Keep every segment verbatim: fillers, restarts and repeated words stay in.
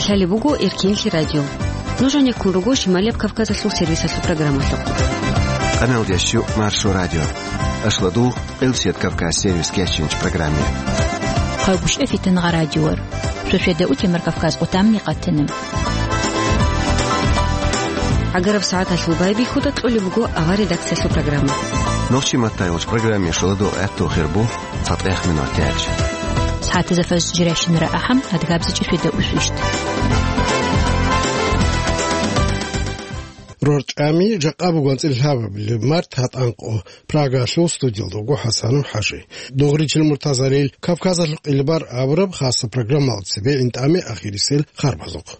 Лъалеб буго Эркенлъи радио. Нуж гьанеккун руго Шималияб Кавказалъул сервисалъул программалъухъ. Къаналдиящу Маршо радио. Ашладул Къилсият Кавказ сервис кечинч программе. Хъагушев Фитнагъа радиор. Шошеда утемар Кавказ къутамни къатана. Агараб сагӀаталъул байбихьуда кьолеб буго авар редакциялъул программа. Нохчи маттайгъуч программе шоладо гӀатту хирбу. ЦатӀехъ минуталъ. СагӀатазда фажр жирайщинара ахӀам, адгабзичӀеб шуьда усвищт. РорчӀами жакъа бугон цӀилъабабилеб март гьатӀанкъо. Прагалъул студиялда вуго ХӀасанов ХӀажи. Дугъричил муртазарил Кавказалъул къилбар абураб хаса программалда цебе гӀинтӀаме ахирисел харбазухъ.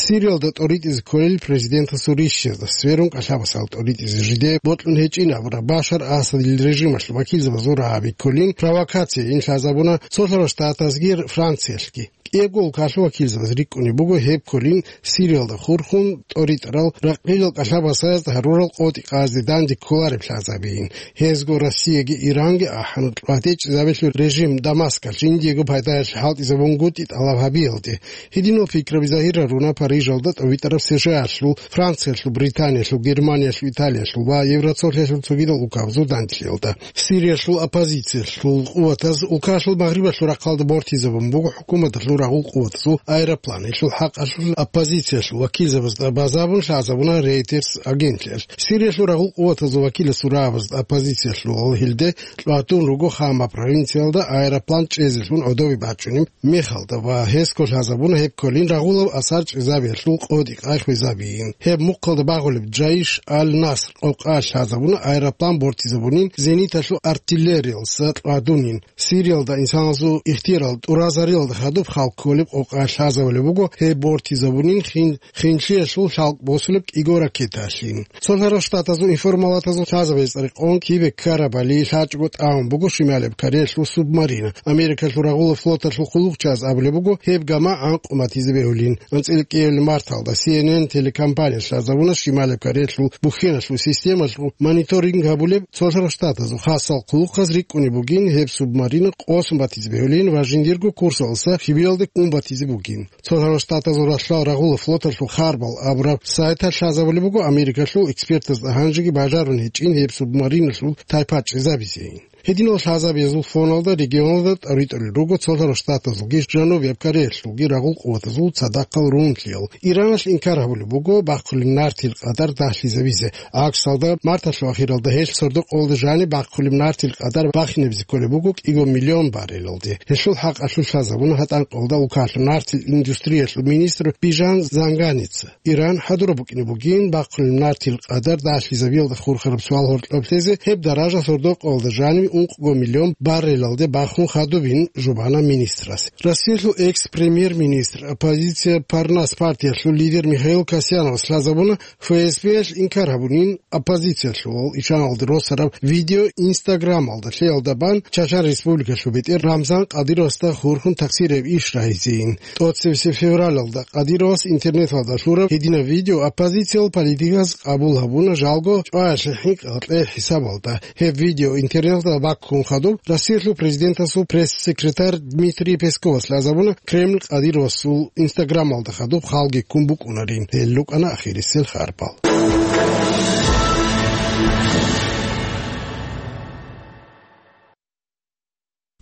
Сириялда тӀоритӀизе кколел президентасул рищазда сверун кӀалъабасал тӀоритӀизе жиде бокьун гьечӀин абураб Башар Асадил режималъул вакилзабазул рагӀаби кколин провокацияйин лъазабуна Цолъарал Штатазги Франциялъги. КӀиябго улкалъул вакилзабаз рикӀкӀунеб буго гьеб кколин Сириялда хурхун тӀоритӀарал ракъилал кӀалъабасазда гьарурал къотӀи-къазе данде кколареб лъазабийин. Гьезго Россияги Иранги ахӀана тӀатӀечӀезабилъул режим Дамаскалъ жиндиего пайдаялъе хӀалтӀизабунгутӀи тӀалаб гьабиялде. Гьединал пикраби загьир гьаруна Парижалда тӀовитӀараб СШАлъул, Франциялъул, Британиялъул, Германиялъул, Италиялъул ва Евроцолъиялъул цогидал улкабазул данделъиялда. Сириялъул оппозициялъул къуватаз улкалъул магърибалъул рахъалда бортизабун буго хӀукуматалъул рагъул къуватазул аэроплан. Гьелъул хӀакъалъулъ оппозициялъул вакилзабазда базабун лъазабуна Reuters агентлъиялъ. Сириялъул рагъул къуватазул вакиласул рагӀабазда оппозициялъул гьелде кьватун руго Хама провинциялда аэроплан чӀезелъун гӀодобе бачӀунеб мехалда ва гьесго лъазабуна гьеб кколин рагъулаб асар чӀезабиялъул къотӀи-къай хвезабиин. Гьеб мухъалда багъулеб Джаиш аль-Наср къокъа лъазабуна аэроплан бортизабунин зениталъул артиллериялса кьвадунин. Сириялда инсанасул ихтияр тӀуразариялда хадуб халкъ кколеб къокъа лъазабулеб буго гьеб бортизабунин хин-, хинлъиялъул лъалкӀ босулеб кӀиго ракеталъин. Цолъарал Штатазул информалатазул лъазабазе цӀарикъон кибе ккарабали лъачӀого тӀамун буго Шималияб Кореялъул субмарина. Америкалъул рагъулаб флоталъул хъулухъчияз абулеб буго гьеб гама гӀанкъун батизе бегьулин. АнцӀила кӀиабилеб марталда Си Эн Эн телекомпания лъазабуна Шималияб Кореялъул бухьеналъул системалъул мониторинг гьабулеб Цолъарал Штатазул хасал хъулухъаз рикӀкӀунеб бугин гьеб субмарина къосун батизе бегьулин ва жиндирго курсалъа Лъибиялде ун батизе бугин. Цолъарал Штатазул ралъдал рагъулаб флоталъул харбал абураб сайталъ лъазабулеб буго Америкалъул экспертазда гьанжеги бажарун гьечӀин гьеб субмариналъул тайпа чӀезабизейин. Гьединал лъазабиязул фоналда регионалда тӀоритӀулел руго Цолъарал Штатазулги Жанубияб Кореялъулги рагъул къуватазул цадахъал рунлъиял. Ираналъ инкар гьабулеб буго бахъулеб нартил къадар дагьлъизабизе. ГӀаксалда, марталъул ахиралда гьелъ сордо-къолда жаниб бахъулеб нартил къадар бахинабизе кколеб буго кӀиго миллион баррелалде. Гьелъул хӀакъалъулъ лъазабуна гьатӀан къолда улкалъул нартил индустриялъул министр Бижан Занганица. Иран хӀадураб букӀине бугин бахъулеб нартил къадар дагьлъизабиялда хурхараб суал гьоркьоб лъезе, гьеб даража сордо-къолда жаниб ункъго миллион баррелалде бахун хадубин, жубана министрас. Россиялъул экс-премьер-министр, оппозиция Парнас партиялъул лидер Михаил Касьяновас лъазабуна, ФСБ-ялъ инкар гьабунин оппозициялъул ишаналда росараб видео Инстаграмалда лъеялда бан Чачан Республикалъул бетӀер Рамзан Кадыровасда хурхун такъсирияб иш рагьизейин. ТӀоцебесеб февралалда Кадыровас интернеталда лъураб гьединаб видео оппозициял политиказ къабул гьабуна жалго чӀваялъе хӀинкъи-гьекъей хӀисабалда. Гьеб видео интернеталда баккун хадуб Россиялъул президентасул пресс-секретарь Дмитрий Песковас лъазабуна Кремль Кадыровасул Инстаграмалда хадуб халги ккун букӀунарин. Гьел рукӀана ахирисел харбал.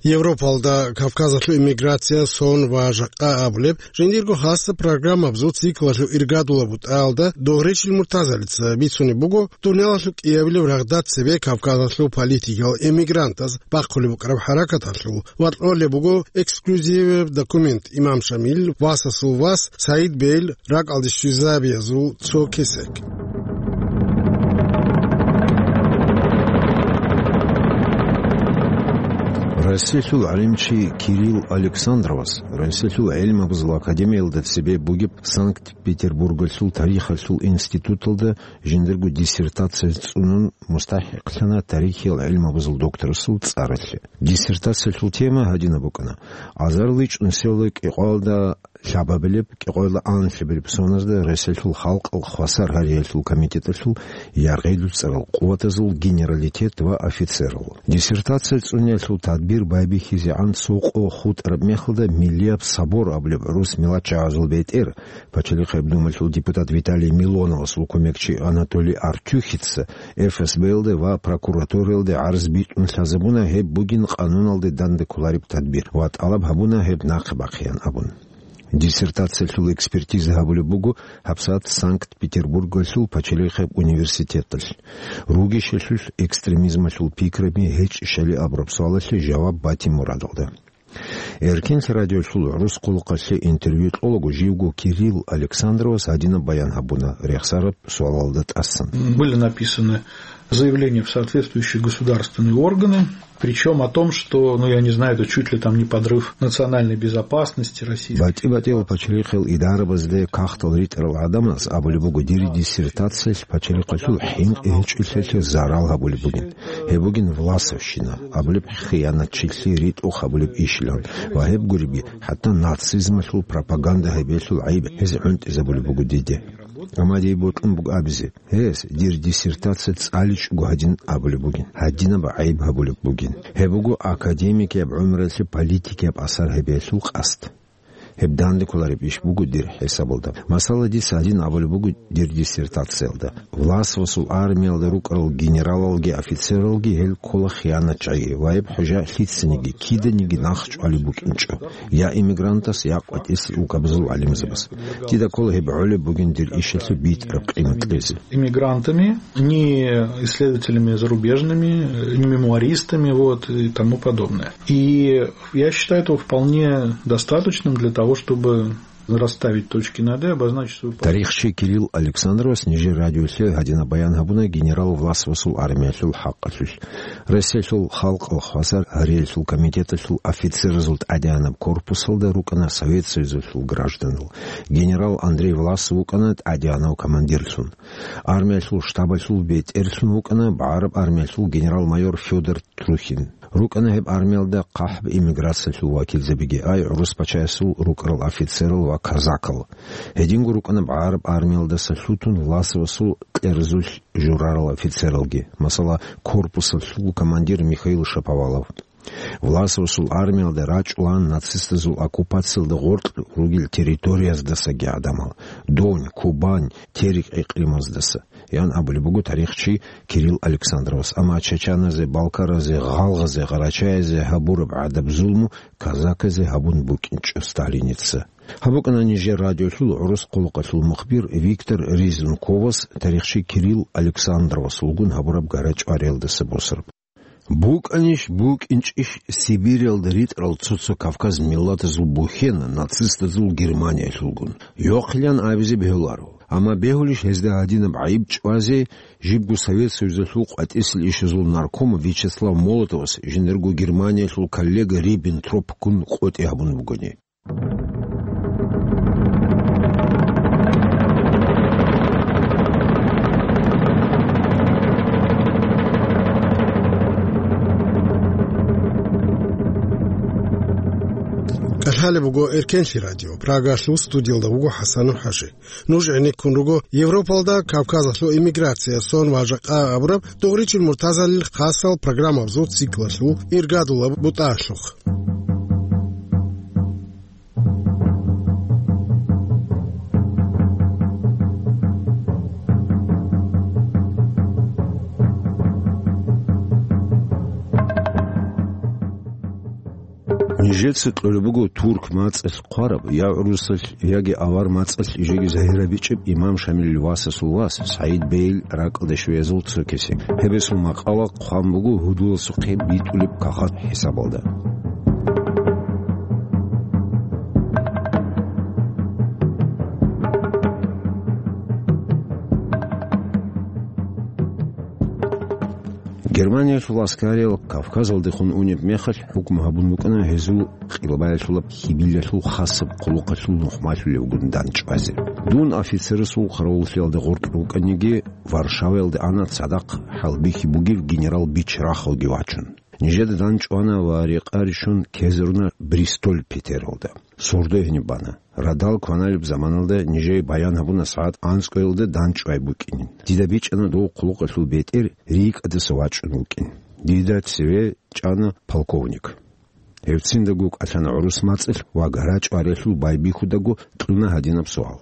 Европалда Кавказалъул иммиграция, сон ва жакъа абулеб жиндирго хасаб программабазул циклалъул иргадулаб бутӀаялда Догъричил Муртазалица бицунеб буго, дуниялалъул кӀиабилеб рагъда цебе Кавказалъул политикиял эмигрантаз бахъулеб букӀараб хӀаракаталъул ва кьолеб буго эксклюзиваб документ Имам Шамил, Васасул вас, Саид Бейл, ракӀалде щвезабиязул цо кесек. Россиялъул гӀалимчи Кирилл Александровас Россиялъул гӀелмабазул академиялда цебе бугеб Санкт-Петербургалъул тарихалъул институталда жиндирго диссертация цӀунун мустахӀикълъана тарихиял гӀелмабазул докторасул цӀаралъе. Диссертациялъул тема гьадинаб букӀана: азарилай чӀунсилалда кӀикъоялда лъабабилеб кӀикъоялда анлъабилеб соназда Россиялъул халкъалъ хвасар гьариялъул комитеталъул яргъи-дуцӀарал къуватазул генералитет ва офицерал. Диссертация цӀуниялъул тадбир байбихьизегӀан цо къо хутӀараб мехалда Миллияб собор абулеб гӀурус миллатчагӀазул бетӀер, Пачалихъеб Думалъул депутат Виталий Милоновасул кумекчи Анатолий Артюхица Эф Эс Б-ялде ва прокуратураялде гӀарз битӀун лъазабуна, гьеб бугин къануналде данде кколареб тадбир, ва тӀалаб гьабуна гьеб нахъе бахъеян абун. Диссертациялъул экспертиза гьабулеб буго гьабсагӀат Санкт-Петербургалъул пачалихъеб университеталъ. Ругищалъулъ экстремизмалъул пикраби гьечӀищали абураб суалалъе жаваб батин мурадалда. Эркенлъи радиолъул гӀурус хъулухъалъе интервью кьолаго живго Кирилл Александровас гьадинаб баян гьабуна рехсараб суалалда тӀасан. Были написаны заявления в соответствующие государственные органы, причём о том, что, ну, я не знаю, это чуть ли там не подрыв национальной безопасности России. БатӀи-батӀиял пачалихъал идарабазде кагътал ритӀарал гӀадамаз абулеб буго, дир диссертациялъ пачалихъалъул хӀинкъи гьечӀолъиялъе зарал гьабулеб бугин. Гьеб бугин власовщина абулеб хиянатчилъи ритӀухъ гьабулеб ишилан ва гьеб гуриби, хӀатта нацизмалъул пропаганда гьабиялъул гӀайиб гьез гӀунтӀизабулеб буго диде. Амма дие бокьун буго абизе, гьес дир диссертация цӀаличӀого гьадин абулеб бугин, гьадинаб гӀайиб гьабулеб бугин. Гьеб буго академикияб гӀумралъе политикияб асар гьабиялъул къасд. Гьеб данде кколареб иш буго дир хӀисабалда. Масала, дица гьадин абулеб буго дир диссертациялда: власовасул армиялда рукӀарал генералалги офицералги гьел ккола хиянатчагӀи ва гьеб хӀужа лъицаниги, киданиги нахъчӀвалеб букӀинчӀо, я иммигрантас, я къватӀисел улкабазул гӀалимзабаз. Дида ккола гьеб гӀолеб бугин дир ишалъе битӀараб къимат кьезе. Иммигрантами, ни исследователями зарубежными, ни мемуаристами, вот, и тому подобное. И я считаю этого вполне достаточным для того, чтобы расставить точки над «и», обозначить свою позицию. Тарихчи Кирилл Александровас нижер радиолъе гьадинаб баян гьабуна генерал Власовасул армиялъул хӀакъалъулъ. Россиялъул халкъалъ хвасар гьариялъул комитеталъул офицеразул тӀадегӀанаб корпусалда рукӀана Совет Союзалъул гражданал. Генерал Андрей Власов вукӀана тӀадегӀанав командирлъун. Армиялъул штабалъул бетӀерлъун вукӀана багӀараб армиялъул генерал-майор Фёдор Трухин. РукӀана гьеб армиялда хъахӀб эмиграциялъул вакилзабиги, ай гӀурус пачаясул рукӀарал офицерал ва казакал. Гьединго рукӀана багӀараб армиялдаса лъутун Власовасул кьерзулъ журарал офицералги, масала, корпусалъул командир Михаил Шаповалов. Власовасул армиялда рачӀулаан нацистазул оккупациялда гъоркь ругел территорияздасаги гӀадамал, Дон, Кубань, Терек гӀикълимаздаса, ян абулеб буго тарихчи Кирилл Александровас. Амма чачаназе, балкаразе, гъалгъазе, гъарачаязе гьабураб гӀадаб-зулму казаказе гьабун букӀинчӀо Сталиница. Гьаб букӀана нижер радиолъул гӀурус хъулухъалъул мухбир Виктор Резунковас тарихчи Кирилл Александровасулгун гьабураб гара-чӀвариялдаса босараб. БукӀанищ букӀинчӀищ Сибиралда ритӀарал цо-цо Кавказ миллатазул бухьен нацистазул Германиялъулгун? Йохъилан абизе бегьуларо. Амма бегьулищ гьезда гьадинаб гӀайиб чӀвазе, жибго Совет Союзалъул къватӀисел ишазул нарком Вячеслав Молотовас жиндирго Германиялъул коллега Риббентропгун къотӀи гьабун бугони? КӀалъалеб буго Эркенлъи радио. Прагалъул студиялда вуго ХӀасанов ХӀажи. Нуж гӀенеккун руго Европалда Кавказалъул эмиграция, сон ва жакъа абураб Дугъричил Муртазалил хасал программабазул циклалъул иргадулаб бутӀалъухъ. Нижеца кьолеб буго турк мацӀалъ хъвараб, я гӀурусалъ, яги авар мацӀалъ жеги загьирабичӀеб имам Шамилил васасул вас СагӀид бейил ракӀалде щвеязул цо кесек. Гьебесул макъала хъван буго гьудуласухъе битӀулеб кагъат хӀисабалда. Германиялъул аскариял Кавказалдехун унеб мехалъ, хӀукму гьабун букӀана гьезул къилбаялъулаб хьибилалъул хасаб хъулухъалъул нухмалъулевгун дандчӀвазе. Дун офицерасул хъаравуллъиялда гъоркь рукӀаниги, Варшаваялде ана цадахъ хӀалбихьи бугев генерал Бич рахалги вачун. Нижеда дандчӀвана ва рекъа рищун ккезаруна Бристоль Питералда. Сордо гьениб бана. Радал кваналеб заманалда нижее баян гьабуна сагӀат анцӀкӀоялда дандчӀвай букӀинин. Дида бичӀчӀана дов хъулухъалъул бетӀер рикӀкӀадаса вачӀун вукӀин. Дида цеве чӀана полковник. Гьевциндаго кӀалъана гӀурус мацӀалъ ва гара-чӀваралъул байбихьудаго кьуна гьадинаб суал: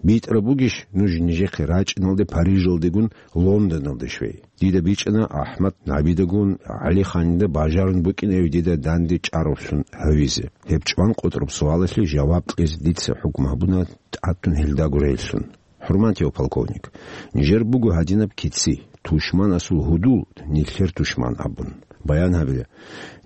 «БитӀараб бугищ нуж нижехъе рачӀиналде Парижалдегун Лондоналде щвей?» Дида бичӀчӀана АхӀмад набидагун ГӀалиханида бажарун букӀинев дида данде чӀаравлъун гьавизе. Гьеб чӀван къотӀраб суалалъе жаваб кьезе дица хӀукму гьабуна тӀадтун гьелдаго релълъун. ХӀурматияв полковник, нижер буго гьадинаб кици, тушманасул гьудул, нилъер тушман абун. Баян гьабила,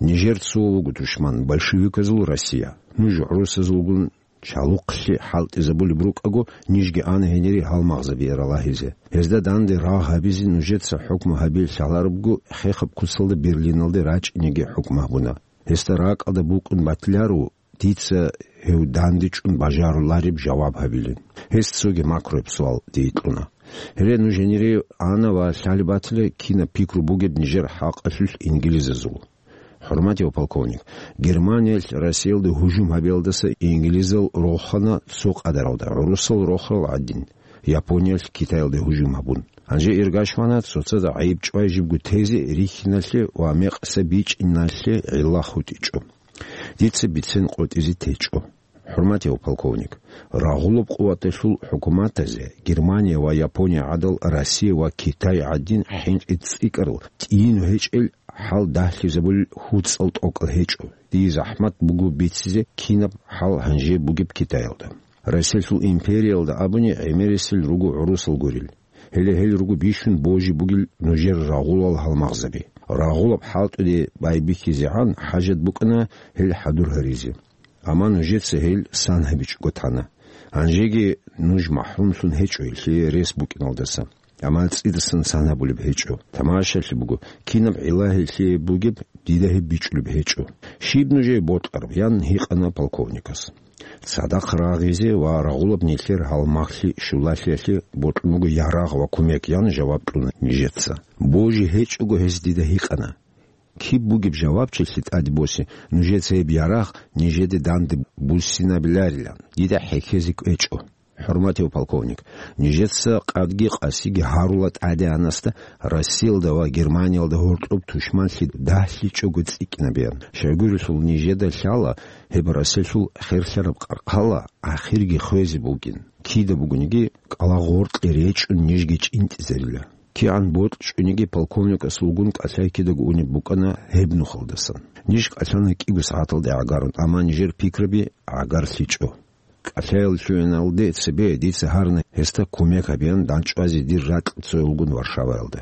нижер цо вуго тушман, большевиказул Россия. Нуж гӀурусазулгун чалухълъи хӀалтӀизабулеб рукӀаго, нижги ана гьенире гьалмагъзабиялъ рагьизе. Гьезда данде рагъ гьабизе нужеца хӀукму гьабиялъ лъаларебго, хехаб куцалда Берлиналде рачӀинеги хӀукму гьабуна. Гьесда ракӀалда букӀун батиларо дица гьев данде чӀун бажарулареб жаваб гьабилин. Гьес цоги макруяб суал дие кьуна. Гьере нуж гьенире ана ва лъалеб батила, кинаб пикру бугеб нижер хӀакъалъулъ инглизазул. ХӀурматияв полковник, Германиялъ Россиялде гьужум гьабиялдаса инглизал рохана цо къадаралда, гӀурусал рохарал гӀадин, Япониялъ Китаялде гьужум гьабун. Гьанже иргашвана цоцазда гӀайиб чӀвай жибго тезе рихьиналъе ва мекъса бичӀчӀиналъе гӀилла хутӀичӀо. Дица бицен къотӀизе течӀо. ХӀурматияв полковник, рагъулаб къуваталъул хӀукуматазе, Германия ва Япония гӀадал, Россия ва Китай гӀадин хӀинкъи цӀикӀкӀарал, тӀийину гьечӀел хӀал дагьлъизабулел хуцӀал тӀокӀал гьечӀо. Дие захӀмат буго бицизе, кинаб хӀал гьанже бугеб Китаялда. Россиялъул империялда абуни гӀемерисел руго гӀурусал гурел. Гьеле гьел руго бищун божи бугел нужер рагъулал гьалмагъзаби. Рагъулаб хӀалтӀуде байбихьизегӀан хӀажат букӀана гьел хӀадур гьаризе. Амма нужеца гьел сан гьабичӀого тана. Гьанжеги нуж махӀрумлъун гьечӀо гьелъие рес букӀиналдаса. Амма цӀидасан сан гьабулеб гьечӀо. Тамашалъи буго, кинаб гӀилла гьелъие бугеб, дида гьеб бичӀчӀулеб гьечӀо. Щиб нужее бокьараб? – ян гьикъана полковникас. Цадахъ рагъизе ва рагъулаб нилъер гьалмагълъи щулалъиялъе бокьун буго ярагъ ва кумек, – ян жаваб кьуна нижеца. Божи гьечӀого гьес дида гьикъана. Киб бугеб жавабчилъи тӀаде босе, нужеца гьеб ярагъ нижеде данде буссинабиларилан, дида хӀехьезе кӀвечӀо. ХӀурматияв полковник, нижеца къадги къасиги гьарула тӀадегӀанасда Россиялда ва Германиялда гьоркьоб тушманлъи дагьлъичӀого цӀикӀкӀинабеян. Щайгурелъул нижеда лъала гьеб Россиялъул херлъараб къаркъала ахирги хвезе бугин. Кида бугониги кӀалагъоркье речӀчӀун нижги чӀинтӀизарила. КигӀан бокьчӀониги полковникасулгун кӀалъай кидаго унеб букӀана гьеб нухалдасан. Ниж кӀалъана кӀиго сагӀаталде гӀагарун, амма нижер пикраби гӀагарлъичӀо. КӀалъаял лъугӀиналде цебе дица гьарна гьесда кумек гьабеян дандчӀвазе дир ракь цоялгун Варшаваялда.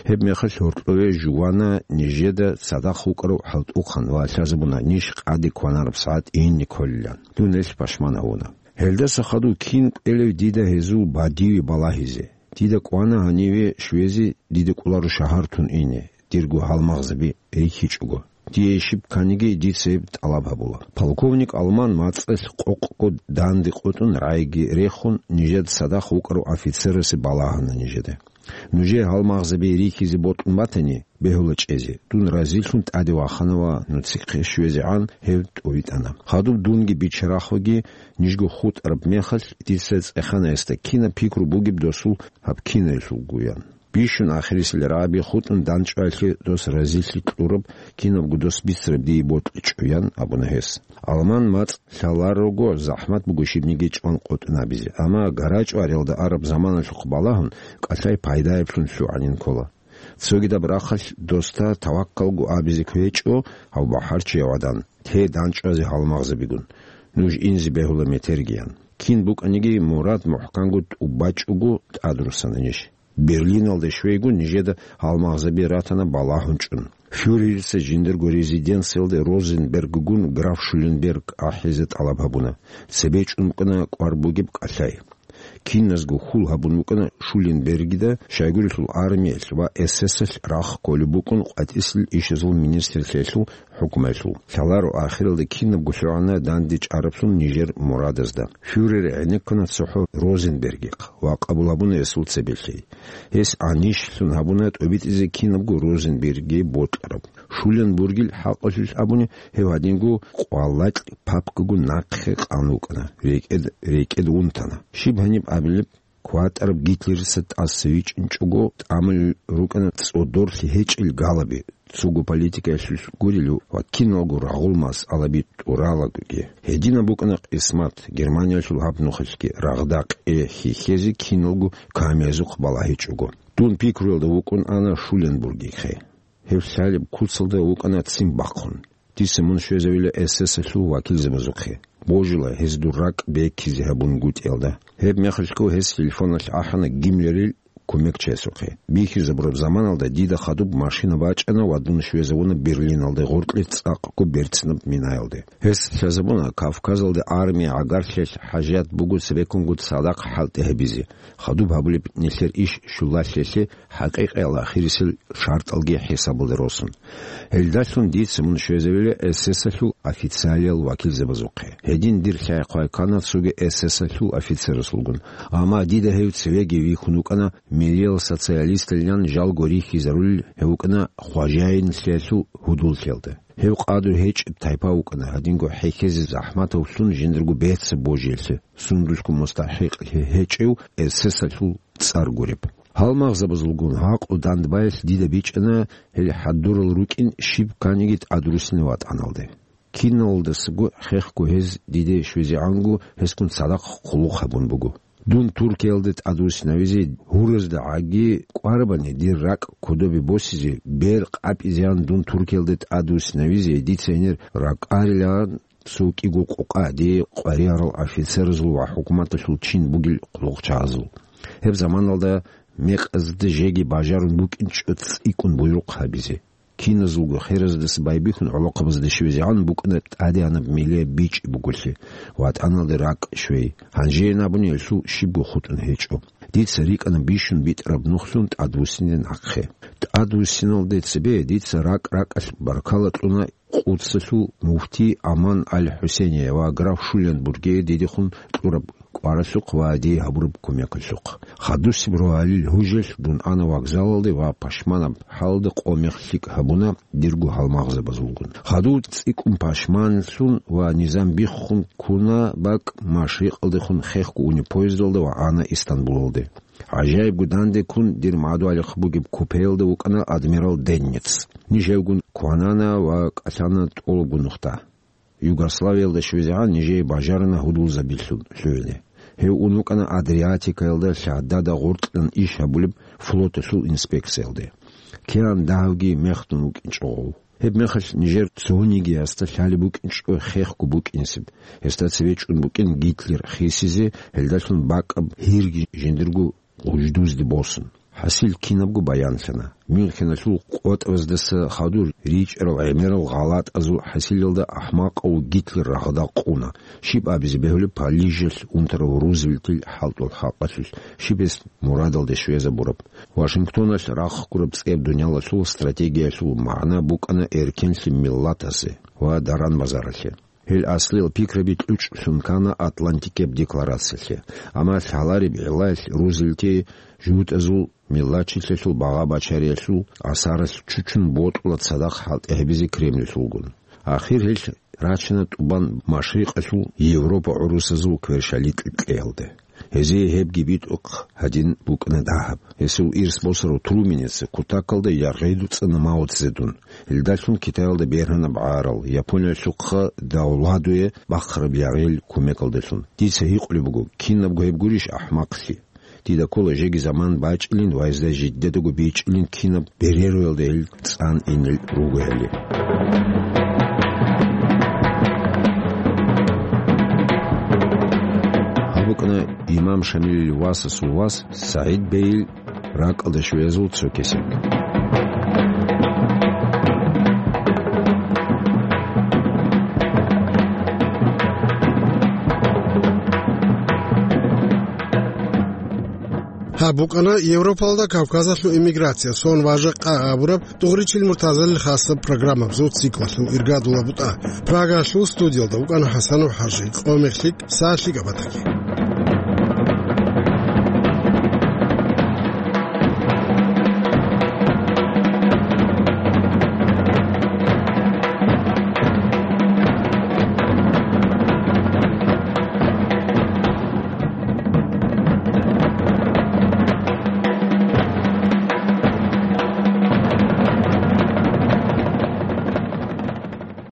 Гьеб мехалъ гьоркьове жувана нижеда цадахъ вукӀарав хӀалтӀухъан ва лъазабуна ниж къаде кванараб сагӀат ине кколилан. Дун гьелъ пашман гьавуна. Гьелдаса хадув кин кӀвелев дида гьезул бадиве балагьизе? Дида кӀвана гьаниве щвезе, дида кӀоларо шагьар тун ине, дирго гьалмагъзаби рихьичӀого. Дие щиб кканиги, дица гьеб тӀалаб гьабула. Полковник Алман мацӀалъ къокъго данде къотӀун, рагӀиги рехун, нижеда цадахъ вукӀарав офицерасе балагьана нижеда. Нужее гьалмагъзаби рихьизе бокьун батани, бегьула чӀезе. Дун разилъун тӀаде вахана ва нуцихъе щвезегӀан гьев тӀовитӀана. Хадуб дунги бичарахъеги нижго хутӀараб мехалъ, дица цӀехана гьесда, кинаб пикру бугеб досул гьаб киналъулгоян. Бищун ахирисел рагӀаби хутӀун дандчӀваялъе дос разилъи кьураб, кинабго дос бицараб дие бокьичӀо, – ян абуна гьес. Алман мацӀ лъаларого, захӀмат буго щибниги чӀван къотӀун абизе, амма гара-чӀваралда араб заманалъухъ балагьун, кӀалъай пайдаялъун лъугӀанин ккола. Цогидаб рахъалъ досда таваккалго абизе кквечӀо гьав бахӀарчияв гӀадан, те дандчӀвазе гьалмагъзабигун. Нуж инзе бегьула метергиян. Кин букӀаниги мурад мухӀканго тӀубачӀого тӀадруссана ниж. Берлиналде щвейгун нижеда гьалмагъзаби ратана балагьун чӀун. Фюрерица жиндирго резиденциялде Розенберггун граф Шуленберг ахӀизе тӀалаб гьабуна. Цебе чӀун букӀана кӀвар бугеб кӀалъай. Киназго хьул гьабун букӀана Шуленбергида, щайгурелъул армиялъ ва эсэсалъ рахъ кколеб букӀун къватӀисел ишазул министрлъиялъул хӀукумаялъул. Лъаларо ахиралда кинабго лъугӀана данде чӀараблъун нижер мурадазда. Фюрер гӀенеккана цохӀо Розенбергихъ ва къабул гьабуна гьесул цебе лъей. Гьес гӀанищлъун гьабуна тӀобитӀизе кинабго Розенбергие бокьараб. Шуленбургил хӀакъалъулъ абуни, гьев гьадинго къвалакь папкаго нахъе къан вукӀана, рекӀед-, рекӀед унтана. Щиб гьаниб абилеб, кватӀараб Гитлерица тӀаса вичӀинчӀого, тӀамулел рукӀана цӀодорлъи гьечӀел галаби, цого политикаялъулъ гурелъул ва киналго рагъул масъалаби тӀуралагоги. Гьединаб букӀана къисмат, Германиялъул гьаб нухалъги рагъда къе хьихьезе киналго камиязухъ балагьичӀого. Дун пикруялда вукӀун ана Шуленбургихъе. Гьев лъалеб куцалда вукӀана ццин бахъун. Дица мун щвезавила эсэсалъул вакилзабазухъе. Божила гьез дур ракӀ бекизе гьабунгутӀиялда. Гьеб мехалъго гьес телефоналъ ахӀана Гиммлерил кумекчиясухъе. Бихьизабураб заманалда дида хадуб машина бачӀана ва дун щвезавуна Берлиналде гъоркье цӀакъго берцинаб минаялде. Гьес лъазабуна Кавказалде армия гӀагарлъиялъ хӀажат буго цебеккунго цадахъ хӀалтӀи гьабизе, хадуб гьабулеб нилъер иш щулалъиялъе хӀакъикъиял ахирисел шартӀалги хӀисабалде росун. Гьелдалъун дица мун щвезавила эсэсалъул официалиял вакилзабазухъе. Гьедин дир лъай-хъвай ккана цоги эсэсалъул офицерасулгун. Амма дида гьев цевеги вихьун вукӀана, миллиял социалисталилан жалго рихьизарулел гьев вукӀана хважаинлъиялъул гьудуллъиялда. Гьев къадру гьечӀеб тайпа вукӀана, гьадинго хӀехьезе захӀматавлъун жиндарго бецаб божилъи, сундулъго мустахӀикълъи гьечӀев эсэсалъул цӀар гуреб. Гьалмагъзабазулгун гьакъу дандбаялъ дида бичӀчӀана, гьел хӀадурал рукӀин щиб кканиги тӀадруссине ватӀаналде. Киналдасаго хехго гьез диде щвезегӀанго гьесгун цадахъ хъулухъ гьабун буго. Дун Туркиялде тӀадвуссинавизе гьуразда гӀаги кӀварабани дир ракӀ кодобе босизе, бер къапӀизеян дун Туркиялде тӀадвуссинавизе дица гьенир ракӀарилан цо кӀиго къокъа, дие къваригӀарал офицеразул ва хӀукуматалъул чин бугел хъулухъчагӀазул. Гьеб заманалда мекъазда жеги бажарун букӀинчӀо цӀикӀкӀун буйрухъ гьабизе. Киназулго хераздаса байбихьун гӀолохъабазда щвезегӀан букӀана тӀадегӀанаб миллияб бичӀчӀи буголъи, ватӀаналде ракӀ щвей. Гьанжеян абуни гьелъул щибго хутӀун гьечӀо. Дица рикӀкӀана бищун битӀараб нухлъун тӀадвуссине нахъе. ТӀадвуссиналде цебе дица ракӀ-ракӀалъ баркала кьуна Къудсалъул муфти Аман аль-ХӀусейния ва граф Шуленбургие дидехун кьураб кӀваралъухъ ва дие гьабураб кумекалъухъ. Хадусеб рогьалил гьужалъ дун ана вокзалалде ва пашманаб хӀалда къо-мех лъикӀ гьабуна дирго гьалмагъзабазулгун. Хадув цӀикӀкӀун пашманлъун ва низам биххун ккуна бакӀ машрикъалдехун хехго уни поездалда ва ана Истанбулалде. ГӀажаибго данде ккун дир мадугьалихъ бугеб купеялда вукӀана адмирал Денниц. Ниж гьевгун кванана ва кӀалъана тӀолабго нухда. Югославиялда щвезегӀан нижее бажарана гьудулзабилъун лъугӀине. Гьев ун вукӀана Адриатикаялда лъадада гъоркьан иш гьабулеб флоталъул инспекциялде. Киян дагьавги мехдун вукӀинчӀо гъов. Гьеб мехалъ нижер цониги гьасда лъалеб букӀинчӀо хехго букӀинсеб. Гьесда цеве чӀун букӀин Гитлер хисизе, гьелдалъун бакӀаб гьирги жиндирго гъуждузде босун. ХӀасил кинабго баянлъана. Мюнхеналъул къотӀаздаса хадур ричӀарал гӀемерал гъалатӀазул хӀасилалда ахӀмакъав Гитлер рагъда къуна. Щиб абизе бегьулеб Парижалъ унтарав Рузвельтил хӀалтӀул хӀакъалъулъ, щиб гьес мурадалде щвезабураб. Вашингтоналъ рахъ гураб цӀеб дуниялалъул стратегиялъул магӀна букӀана эркенлъи миллатазе ва даран-базаралъе. Гьел аслиял пикраби кьучӀлъун ккана Атлантикияб декларациялъе. Амма лъалареб гӀиллаялъ Рузвельти жугьутӀазул миллатчилъиялъул багъа-бачариялъул асаралъ чучун бокьула цадахъ хӀалтӀи гьабизе Кремльлъулгун. Ахир гьелъ рачана тӀубан машрикъалъул Европа гӀурусазул кверщаликь кьеялде. Гьезие гьебги битӀухъ гьадин букӀана дагьаб. Гьесул ирс босарав Труменица кутакалда яргъи дуцӀана Мао Цзедун. Гьелдалъун Китаялда бергьанаб гӀарал, Япониялъухъа давладуе бахъараб яргъил кумекалдалъун. Дица гьикъулеб буго, кинабго гьеб гурищ ахӀмахълъи? Дида ккола жеги заман бачӀилин ва гьезда жидедаго бичӀчӀилин кинаб береруялда гьел цӀан инел ругояли. Гьаб букӀана имам Шамилил васасул вас СагӀид бейил ракӀалда щвезул цо кесек. Гьаб букӀана Европалда Кавказалъул эмиграция, сон ва жакъа абураб ТӀугъричил Муртазалил хасаб программабазул циклалъул иргадулаб бутӀа. Прагалъул студиялда вукӀана ХӀасанов ХӀажи, къо-мех лъикӀ, сагӀат лъикӀаб батаги.